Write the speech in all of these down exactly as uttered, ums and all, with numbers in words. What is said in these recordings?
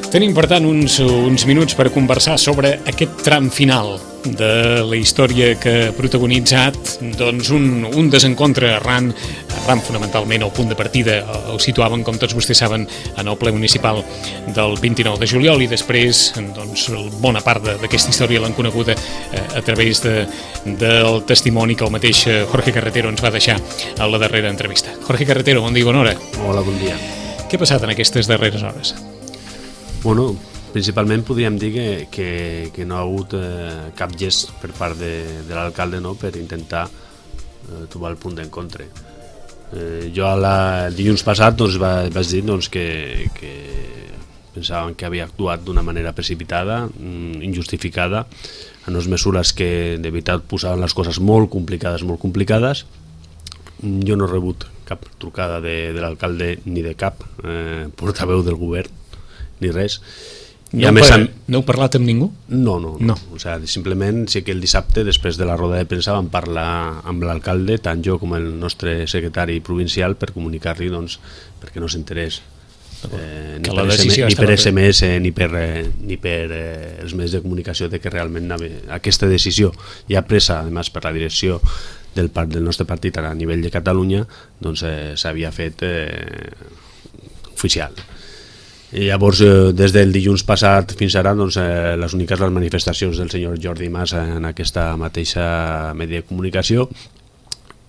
Tenim, per tant, uns, uns minuts per conversar sobre aquest tram final de la història que ha protagonitzat doncs, un, un desencontre arran, arran fonamentalment el punt de partida el situaven, com tots vostès saben, en el ple municipal del vint-i-nou de juliol i després doncs, bona part d'aquesta història l'han coneguda eh, a través de, del testimoni que el mateix Jorge Carretero ens va deixar a la darrera entrevista. Jorge Carretero, bon dia, bona hora. Hola, bon dia. Què ha passat en aquestes darreres hores? Bueno, principalment podríem dir que, que, que no ha hagut eh, cap gest per part de, de l'alcalde, no?, per intentar eh, trobar el punt d'encontre. Eh, jo la, el dilluns passat doncs, va, vaig dir doncs, que, que pensaven que havia actuat d'una manera precipitada, injustificada, en unes mesures que de veritat posaven les coses molt complicades, molt complicades. Jo no he rebut cap trucada de, de l'alcalde ni de cap eh, portaveu del govern, ni res. I no, per, amb... no heu parlat amb ningú? No, no, no. no. O sigui, simplement sí que el dissabte, després de la roda de premsa, vam parlar amb l'alcalde, tant jo com el nostre secretari provincial, per comunicar-li, doncs, perquè no s'enterés eh, ni, per S M, ni per S M S ni per, eh, ni per eh, els mitjans de comunicació de que realment anava, aquesta decisió ja presa, a més, per la direcció del, part, del nostre partit a nivell de Catalunya, doncs eh, s'havia fet eh, oficial. I llavors, eh, des del dilluns passat fins ara, doncs, eh, les úniques les manifestacions del senyor Jordi Mas en aquesta mateixa media de comunicació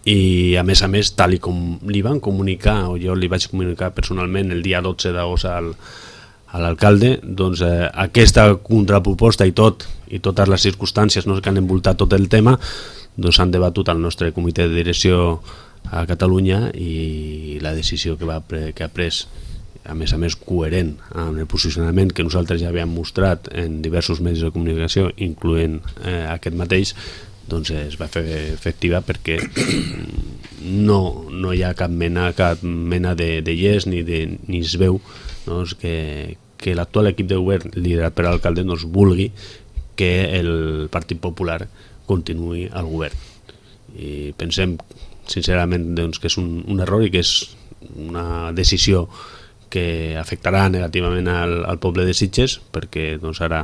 i, a més a més, tal i com li van comunicar, o jo li vaig comunicar personalment el dia dotze d'agost al, a l'alcalde, doncs eh, aquesta contraproposta i tot, i totes les circumstàncies, no, que han envoltat tot el tema, doncs s'han debatut al nostre comitè de direcció a Catalunya i la decisió que, va, que ha pres, a més a més coherent amb el posicionament que nosaltres ja havíem mostrat en diversos mitjans de comunicació, incloent eh, aquest mateix, doncs es va fer efectiva perquè no, no hi ha cap mena, cap mena de, de llest ni, de, ni es veu doncs, que, que l'actual equip de govern liderat per l'alcalde doncs, vulgui que el Partit Popular continuï al govern. I pensem sincerament doncs, que és un, un error i que és una decisió que afectarà negativament al, al poble de Sitges, perquè doncs, ara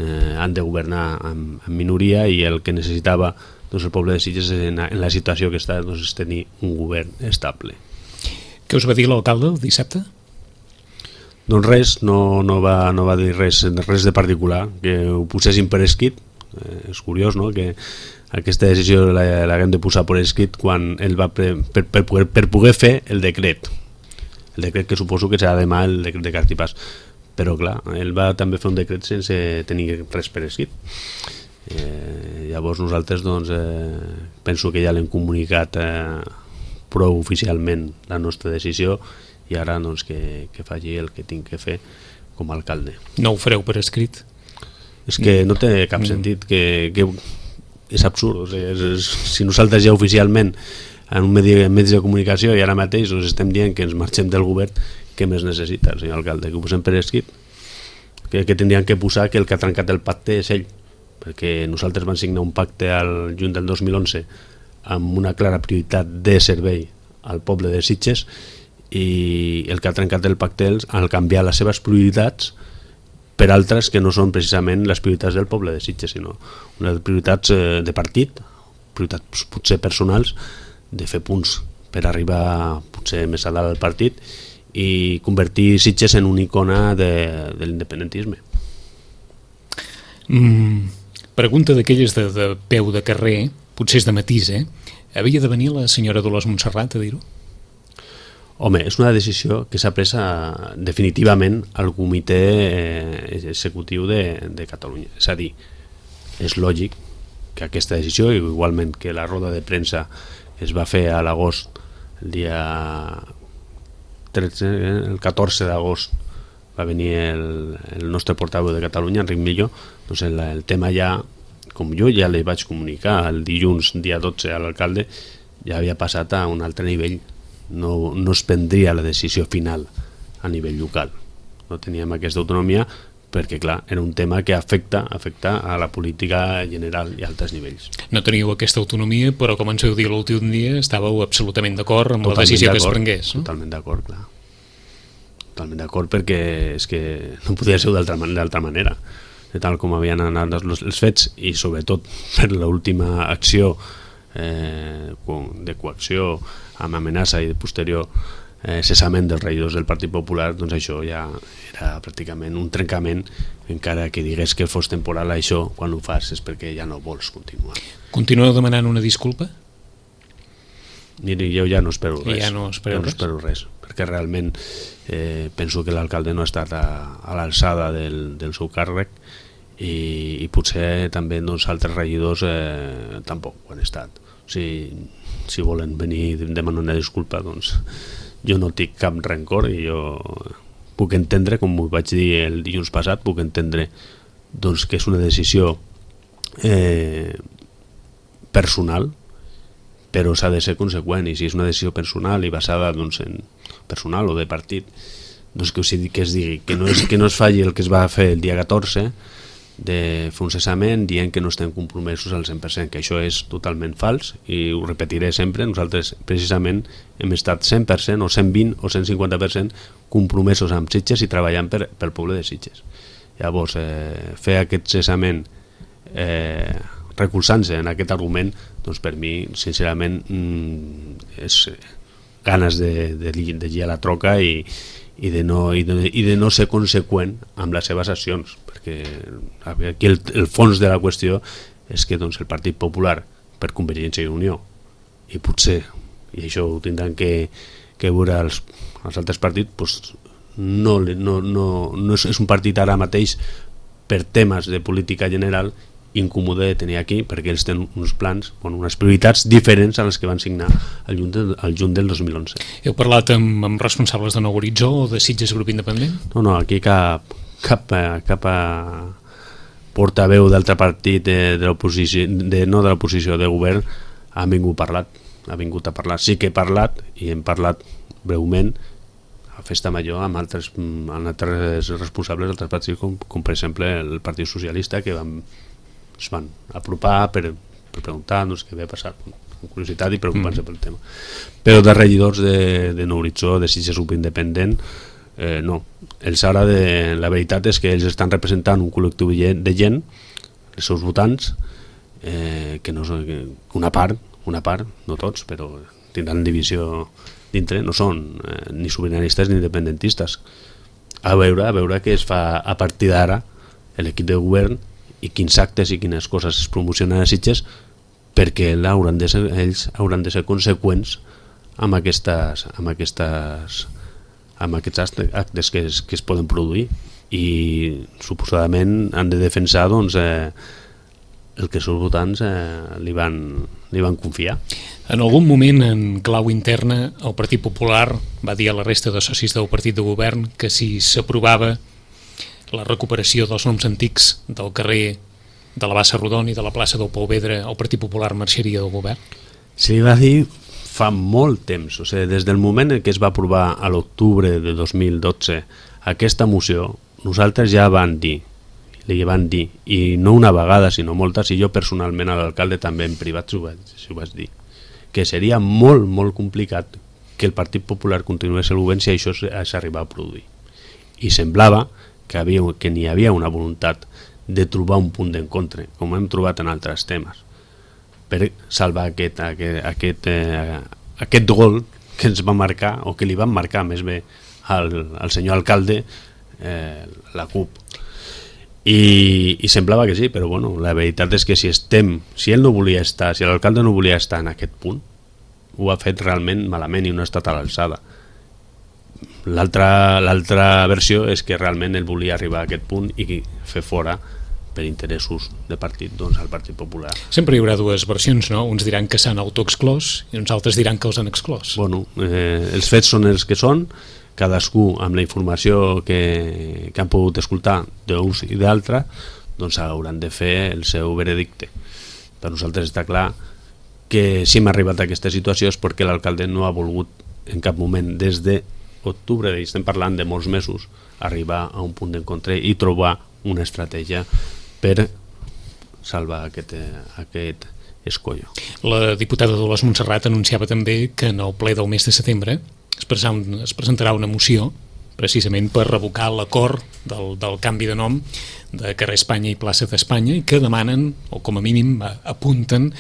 eh, han de governar en, en minoria i el que necessitava doncs, el poble de Sitges en, en la situació que està doncs, és tenir un govern estable. Què us va dir l'alcalde el dissabte? Doncs res, no, no, va, no va dir res, res de particular, que ho posessin per escrit. Eh, és curiós, no?, que aquesta decisió l'haguem de posar per escrit quan ell va pre, per, per, per, per poder fer el decret. El decret que suposo que serà demà, el decret de Cartipàs, però clar, ell va també fer un decret sense tenir res per escrit. Eh, llavors nosaltres doncs, eh, penso que ja l'hem comunicat eh, prou oficialment la nostra decisió i ara doncs, que, que faci el que tinc que fer com a alcalde. No ho fareu per escrit? És que no té cap sentit, que, que és absurd. O sigui, és, és, si nosaltres ja oficialment en un medi, medi de comunicació i ara mateix us estem dient que ens marxem del govern, què més necessita el senyor alcalde? Que ho posem per escrit? Que, que tindrien que posar que el que ha trencat el pacte és ell, perquè nosaltres vam signar un pacte al juny del dos mil onze amb una clara prioritat de servei al poble de Sitges i el que ha trencat el pacte és al canviar les seves prioritats per altres que no són precisament les prioritats del poble de Sitges, sinó unes prioritats de partit, prioritats potser personals, de fer punts per arribar potser més a dalt del partit i convertir Sitges en una icona de, de l'independentisme. Mm, pregunta d'aquelles de, de peu de carrer, potser és de matís, eh? Havia de venir la senyora Dolors Montserrat a dir-ho? Home, és una decisió que s'ha pres definitivament al comitè executiu de, de Catalunya. És a dir, és lògic que aquesta decisió, igualment que la roda de premsa es va fer a l'agost, el dia tretze, el catorze d'agost va venir el, el nostre portaveu de Catalunya, Enric Millo, doncs el, el tema ja, com jo ja li vaig comunicar el dilluns, dia dotze, a l'alcalde, ja havia passat a un altre nivell. No, no es prendria la decisió final a nivell local. No teníem aquesta autonomia perquè, clar, era un tema que afecta, afecta a la política general i a altres nivells. No teníeu aquesta autonomia, però com ens heu dit l'últim dia, estàveu absolutament d'acord amb la decisió que es prengués. No? Totalment d'acord, clar. totalment d'acord, perquè és que no podia ser d'altra manera, de tal com havien anat els fets, i sobretot per l'última acció eh, de coacció amb amenaça i de posterior eh, cessament dels regidors del Partit Popular, doncs això ja era pràcticament un trencament. Encara que digués que fos temporal, això quan ho fas és perquè ja no vols continuar. Continueu demanant una disculpa? Miri, jo ja no espero res, ja no espero, ja no espero res, perquè realment eh, penso que l'alcalde no ha estat a, a l'alçada del, del seu càrrec, i, i potser també doncs, altres regidors eh, tampoc ho han estat. O sigui, si volen venir demanar una disculpa, doncs jo no tinc cap rencor, i jo puc entendre, com ho vaig dir el dilluns passat, puc entendre doncs, que és una decisió eh, personal, però s'ha de ser conseqüent, i si és una decisió personal i basada doncs, en personal o de partit, doncs que, o sigui, que es digui que no, és, que no es falli el que es va fer el dia catorze, de fer un cessament dient que no estem compromesos al cent per cent, que això és totalment fals, i ho repetiré sempre. Nosaltres precisament hem estat cent per cent o cent vint o cent cinquanta per cent compromesos amb Sitges i treballant per, pel poble de Sitges. Llavors, eh, fer aquest cessament eh, recolzant-se en aquest argument, doncs per mi, sincerament, mm, és ganes de, de, de llir a la troca i, i, de no, i, de, i de no ser conseqüent amb les seves accions, perquè aquí el, el fons de la qüestió és que doncs, el Partit Popular, per Convergència i Unió, i potser, i això ho tindran que, que veure els, els altres partits, doncs, no, no, no, no és, és un partit ara mateix per temes de política general incòmode de tenir aquí, perquè ells tenen uns plans, bueno, unes prioritats diferents a les que van signar el juny, del, el juny del dos mil onze. Heu parlat amb, amb responsables de Nou Horitzó o de Sitges Grup Independent? No, no, aquí cap, cap, cap a portaveu d'altre partit de, de l'oposició, de, no de l'oposició, de govern, ha vingut parlat, ha vingut a parlar. Sí que he parlat, i hem parlat breument, a Festa Major amb altres, amb altres responsables d'altres partits, com, com per exemple el Partit Socialista, que van es van apropar per, per preguntar doncs, què havia passat, amb curiositat i preocupant-se mm. pel tema. Però de regidors de, de Nou Horitzó, de Sitges Grup Independent, eh, no. Els ara, de, la veritat és que ells estan representant un col·lectiu de gent, els seus votants, eh, que no són, que una part, una part, no tots, però tindran divisió dintre, no són eh, ni sobiranistes ni independentistes. A veure, a veure què es fa a partir d'ara l'equip de govern i quins actes i quines coses es promocionen a Sitges, perquè hauran de ser, ells hauran de ser conseqüents amb aquestes, amb aquestes, amb aquests actes que es, que es poden produir, i suposadament han de defensar doncs, eh, el que els seus votants eh, li, van, li van confiar. En algun moment, en clau interna, el Partit Popular va dir a la resta de socis del partit de govern que si s'aprovava la recuperació dels noms antics del carrer de la Bassa Rodon i de la plaça del Pau Vedra, el Partit Popular marxaria del govern? Se li va dir fa molt temps, o sigui, des del moment en què es va aprovar a l'octubre de dos mil dotze aquesta moció, nosaltres ja van dir, li van dir, i no una vegada sinó moltes, i jo personalment a l'alcalde també en privat s'ho vaig, s'ho vaig dir, que seria molt, molt complicat que el Partit Popular continués el govern si això s'arribava a produir. I semblava que, havia, que n'hi havia una voluntat de trobar un punt d'encontre, com hem trobat en altres temes, per salvar aquest, aquest, aquest, eh, aquest gol que ens va marcar, o que li van marcar més bé al, al senyor alcalde, eh, la CUP. I, i semblava que sí, però bueno, la veritat és que si estem, si ell no volia estar, si l'alcalde no volia estar en aquest punt, ho ha fet realment malament i no ha estat a l'alçada. L'altra l'altra versió és que realment ell volia arribar a aquest punt i fer fora per interessos de partit doncs, al Partit Popular. Sempre hi haurà dues versions, no? Uns diran que s'han autoexclòs i uns altres diran que els han exclòs. Bueno, eh, els fets són els que són, cadascú amb la informació que, que han pogut escoltar d'uns i d'altres, doncs hauran de fer el seu veredicte. Per nosaltres està clar que si hem arribat a aquesta situació és perquè l'alcalde no ha volgut en cap moment, des d'octubre, i estem parlant de molts mesos, arribar a un punt d'encontre i trobar una estratègia per salvar aquest, aquest escollo. La diputada Dolors Montserrat anunciava també que en el ple del mes de setembre es presentarà una moció precisament per revocar l'acord del, del canvi de nom de carrer Espanya i plaça d'Espanya, i que demanen, o com a mínim apunten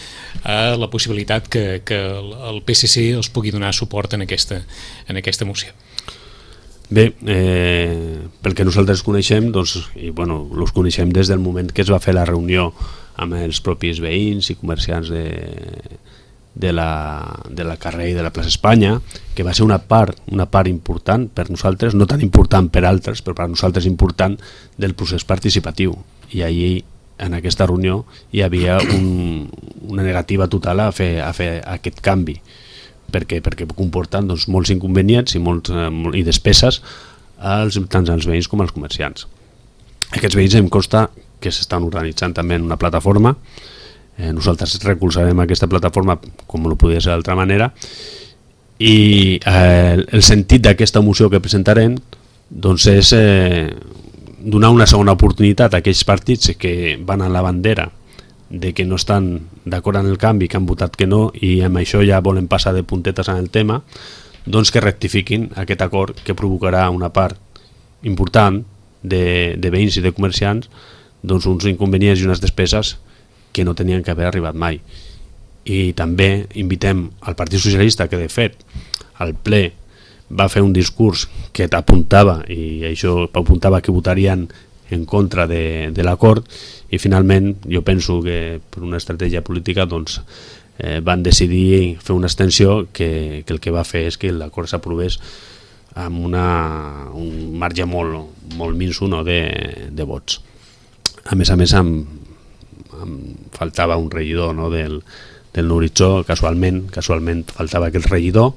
a la possibilitat que, que el P S C els pugui donar suport en aquesta, en aquesta moció. Bé, eh, pel que nosaltres coneixem, doncs, i bueno, els coneixem des del moment que es va fer la reunió amb els propis veïns i comerciants de, de, la, de la carrer i de la plaça Espanya, que va ser una part, una part important per nosaltres, no tan important per altres, però per nosaltres important, del procés participatiu. I allí, en aquesta reunió, hi havia un, una negativa total a fer, a fer aquest canvi, perquè, perquè comporten doncs, molts inconvenients i, molts, eh, i despeses als, tant als veïns com als comerciants. Aquests veïns em consta que s'estan organitzant també en una plataforma. Eh, nosaltres recolzarem aquesta plataforma com no podia ser d'altra manera, i eh, el sentit d'aquesta moció que presentarem doncs és eh, donar una segona oportunitat a aquells partits que van a la bandera de que no estan d'acord amb el canvi, que han votat que no, i amb això ja volen passar de puntetes en el tema, doncs que rectifiquin aquest acord que provocarà una part important de, de veïns i de comerciants doncs uns inconvenients i unes despeses que no tenien que haver arribat mai. I també invitem al Partit Socialista, que de fet al ple va fer un discurs que t'apuntava, i això apuntava que votarien en contra de, de l'acord, i finalment jo penso que per una estratègia política doncs, eh, van decidir fer una extensió que, que el que va fer és que l'acord s'aprovés amb una, un marge molt, molt minso, no, de, de vots. A més a més em, em faltava un regidor, no, del, del Horitzó, casualment, casualment faltava aquest regidor,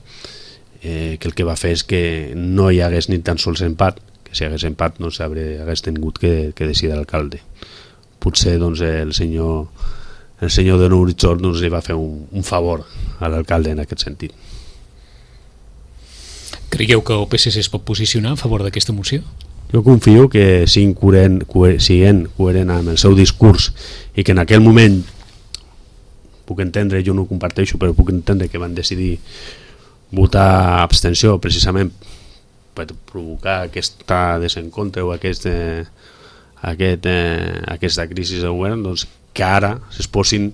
eh, que el que va fer és que no hi hagués ni tan sols empat, que si hagués empat no s'hauria hagués tingut que, que decidir l'alcalde. Potser doncs, el senyor el senyor de Horitzó doncs, li va fer un, un favor a l'alcalde en aquest sentit. Creieu que el P S C es pot posicionar a favor d'aquesta moció? Jo confio que siguin coherent, coher, siguin coherent amb el seu discurs, i que en aquell moment, puc entendre, jo no ho comparteixo, però puc entendre que van decidir votar abstenció precisament per provocar aquesta desencontre o aquest, eh, aquest, eh, aquesta crisi de govern, doncs que ara es posin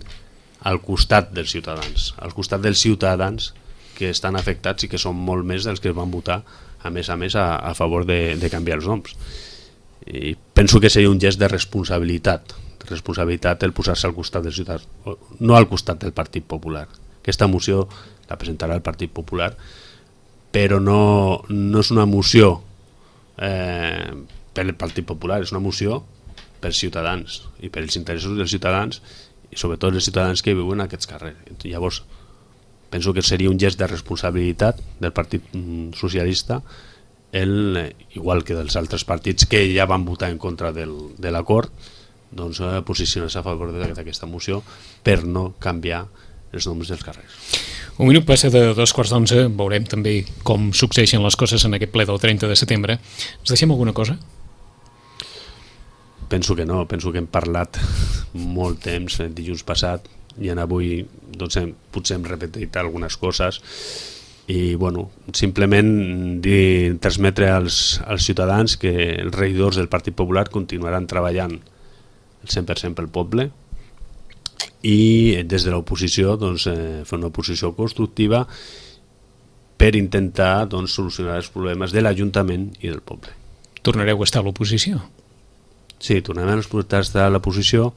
al costat dels ciutadans, al costat dels ciutadans que estan afectats i que són molt més dels que van votar a més a més a, a favor de, de canviar els noms. I penso que seria un gest de responsabilitat, de responsabilitat el posar-se al costat dels ciutadans, no al costat del Partit Popular. Aquesta moció la presentarà el Partit Popular, però no, no és una moció eh, per el Partit Popular, és una moció per ciutadans i per els interessos dels ciutadans, i sobretot els ciutadans que viuen a aquests carrers. Llavors, penso que seria un gest de responsabilitat del Partit Socialista, el, igual que dels altres partits que ja van votar en contra del, de l'acord, doncs posicionar-se a favor d'aquesta moció per no canviar els noms dels carrers. Un minut passa de dos quarts d'onze, veurem també com succeeixen les coses en aquest ple del trenta de setembre. Ens deixem alguna cosa? Penso que no, penso que hem parlat molt temps el dilluns passat, i en avui doncs, hem, potser hem repetit algunes coses, i bueno, simplement dir, transmetre als, als ciutadans que els regidors del Partit Popular continuaran treballant el cent per cent pel poble, i des de l'oposició doncs, eh, fer una oposició constructiva per intentar doncs, solucionar els problemes de l'Ajuntament i del poble. Tornareu a estar a l'oposició? Sí, tornarem a estar a l'oposició,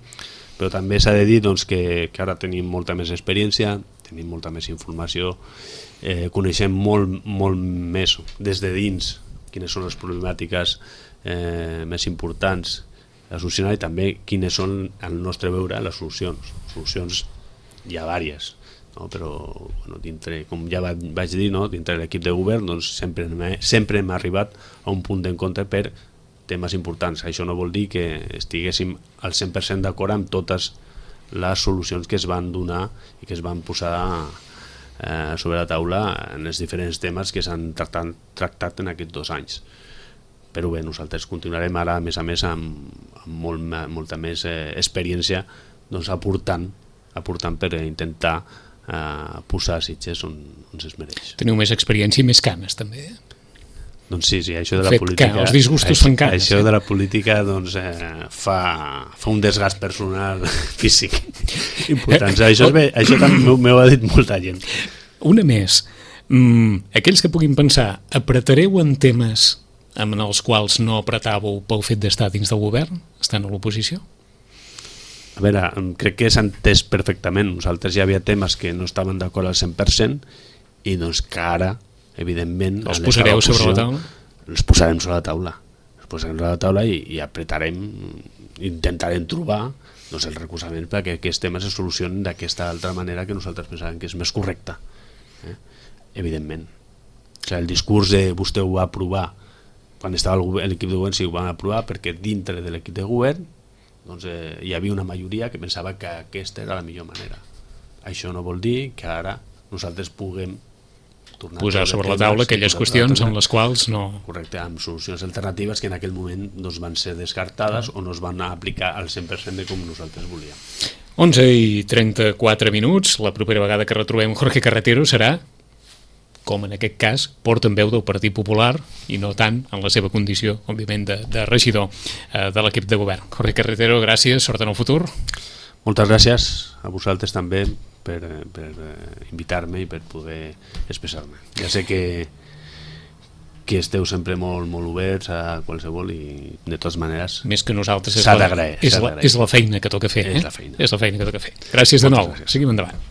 però també s'ha de dir doncs, que, que ara tenim molta més experiència, tenim molta més informació, eh, coneixem molt, molt més des de dins quines són les problemàtiques eh, més importants a solucionar, i també quines són, al nostre veure, les solucions. Solucions hi ha diverses, no? Però bueno, dintre, com ja vaig dir, no? Dintre l'equip de govern doncs, sempre, hem, sempre hem arribat a un punt d'encontre per temes importants. Això no vol dir que estiguéssim al cent per cent d'acord amb totes les solucions que es van donar i que es van posar eh, sobre la taula en els diferents temes que s'han tractat, tractat en aquests dos anys. Però bé, nosaltres continuarem ara, a més a més, amb, amb molt, molta més eh, experiència, doncs aportant, aportant per intentar eh, posar Sitges on, on es mereix. Teniu més experiència i més cames, també. Doncs sí, sí, això de la fet política... que els disgustos fan cares. Això de la política doncs, eh, fa, fa un desgast personal físic important. Això, és bé, això també m'ho ha dit molta gent. Una més. Mm, aquells que puguin pensar, apretareu en temes en els quals no apretàveu pel fet d'estar dins del govern, estant a l'oposició? A veure, crec que s'ha entès perfectament. Nosaltres ja havia temes que no estaven d'acord al cent per cent i doncs que ara, evidentment... Els posareu sobre la taula? Els posarem sobre la taula. Els posarem sobre la taula i, i apretarem, intentarem trobar doncs, el recolzament perquè aquests temes es solucionen d'aquesta altra manera que nosaltres pensàvem que és més correcta. Eh? Evidentment. O sigui, el discurs de vostè ho va aprovar quan estava l'equip de govern, sí, ho van aprovar perquè dintre de l'equip de govern doncs, eh, hi havia una majoria que pensava que aquesta era la millor manera. Això no vol dir que ara nosaltres puguem tornar posar sobre la taula aquelles qüestions en les quals no... Correcte, amb solucions alternatives que en aquell moment doncs, van ser descartades o no es van aplicar al cent per cent de com nosaltres volíem. onze i trenta-quatre minuts, la propera vegada que retrobem Jorge Carretero serà, com en aquest cas, portaveu del Partit Popular i no tant en la seva condició, òbviament, de, de regidor eh, de l'equip de govern. Jorge Carretero, gràcies, sort en el futur. Moltes gràcies a vosaltres també per, per invitar-me i per poder expressar-me. Ja sé que, que esteu sempre molt, molt oberts a qualsevol i de totes maneres més que nosaltres és, la, és, la, és la feina que toca fer. És eh? la feina. És la feina que toca fer. Gràcies de Moltes nou. Gràcies. Seguim endavant.